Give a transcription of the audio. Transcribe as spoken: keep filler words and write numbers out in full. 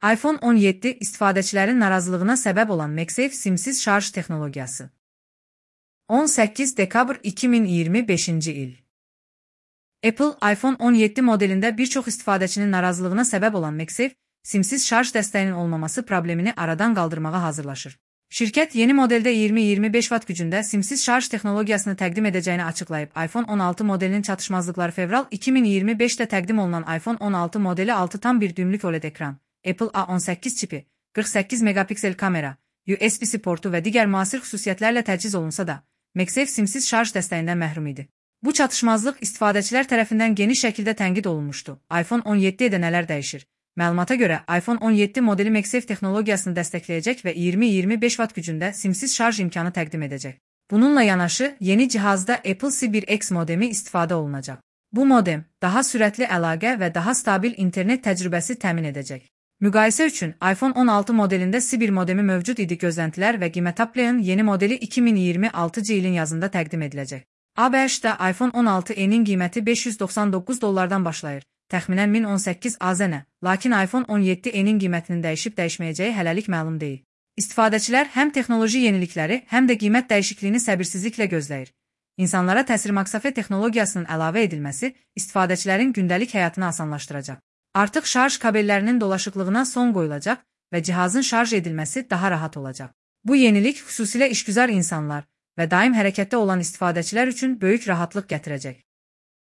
iPhone on yeddi istifadəçilərin narazılığına səbəb olan MagSafe simsiz şarj texnologiyası. on səkkiz dekabr iki min iyirmi beşinci il. Apple, iPhone on yeddi modelində bir çox istifadəçinin narazılığına səbəb olan MagSafe simsiz şarj dəstəyinin olmaması problemini aradan qaldırmağa hazırlaşır. Şirkət yeni modeldə iyirmi iyirmi beş watt gücündə simsiz şarj texnologiyasını təqdim edəcəyini açıqlayıb. iPhone on altı modelinin çatışmazlıqları fevral iki min iyirmi beşdə təqdim olunan iPhone on altı modeli altı tam bir düymlük O L E D ekran, Apple A on səkkiz çipi, qırx səkkiz megapiksel kamera, U S B-C portu və digər müasir xüsusiyyətlərlə təchiz olunsa da, MagSafe simsiz şarj dəstəyindən məhrum idi. Bu çatışmazlıq istifadəçilər tərəfindən geniş şəkildə tənqid olunmuşdu. iPhone on yeddidə nələr dəyişir? Məlumata görə, iPhone on yeddi modeli MagSafe texnologiyasını dəstəkləyəcək və iyirmi iyirmi beş watt gücündə simsiz şarj imkanı təqdim edəcək. Bununla yanaşı, yeni cihazda Apple C bir X modemi istifadə olunacaq. Bu modem, daha sürətli əlaqə və daha stabil internet təcrübəsi təmin edəcək. Müqayisə üçün, iPhone on altı modelində C bir modemi mövcud idi. Gözləntilər və qiymət Apple'ın yeni modeli iki min iyirmi altıncı ilin yazında təqdim ediləcək. A B H-da iPhone on altı E-nin qiyməti beş yüz doxsan doqquz dollardan başlayır. Təxminən min on səkkiz A Z N, lakin iPhone on yeddi E-nin qiymətinin dəyişib-dəyişməyəcəyi hələlik məlum deyil. İstifadəçilər həm texnoloji yenilikləri, həm də qiymət dəyişikliyini səbirsizliklə gözləyir. İnsanlara təsir MagSafe texnologiyasının əlavə edilməsi istifadəçilərin gündəlik həyatını asanlaşdıracaq. Artıq şarj kabellərinin dolaşıqlığına son qoyulacaq və cihazın şarj edilməsi daha rahat olacaq. Bu yenilik xüsusilə işgüzar insanlar və daim hərəkətdə olan istifadəçilər üçün böyük rahatlıq gətirəcək.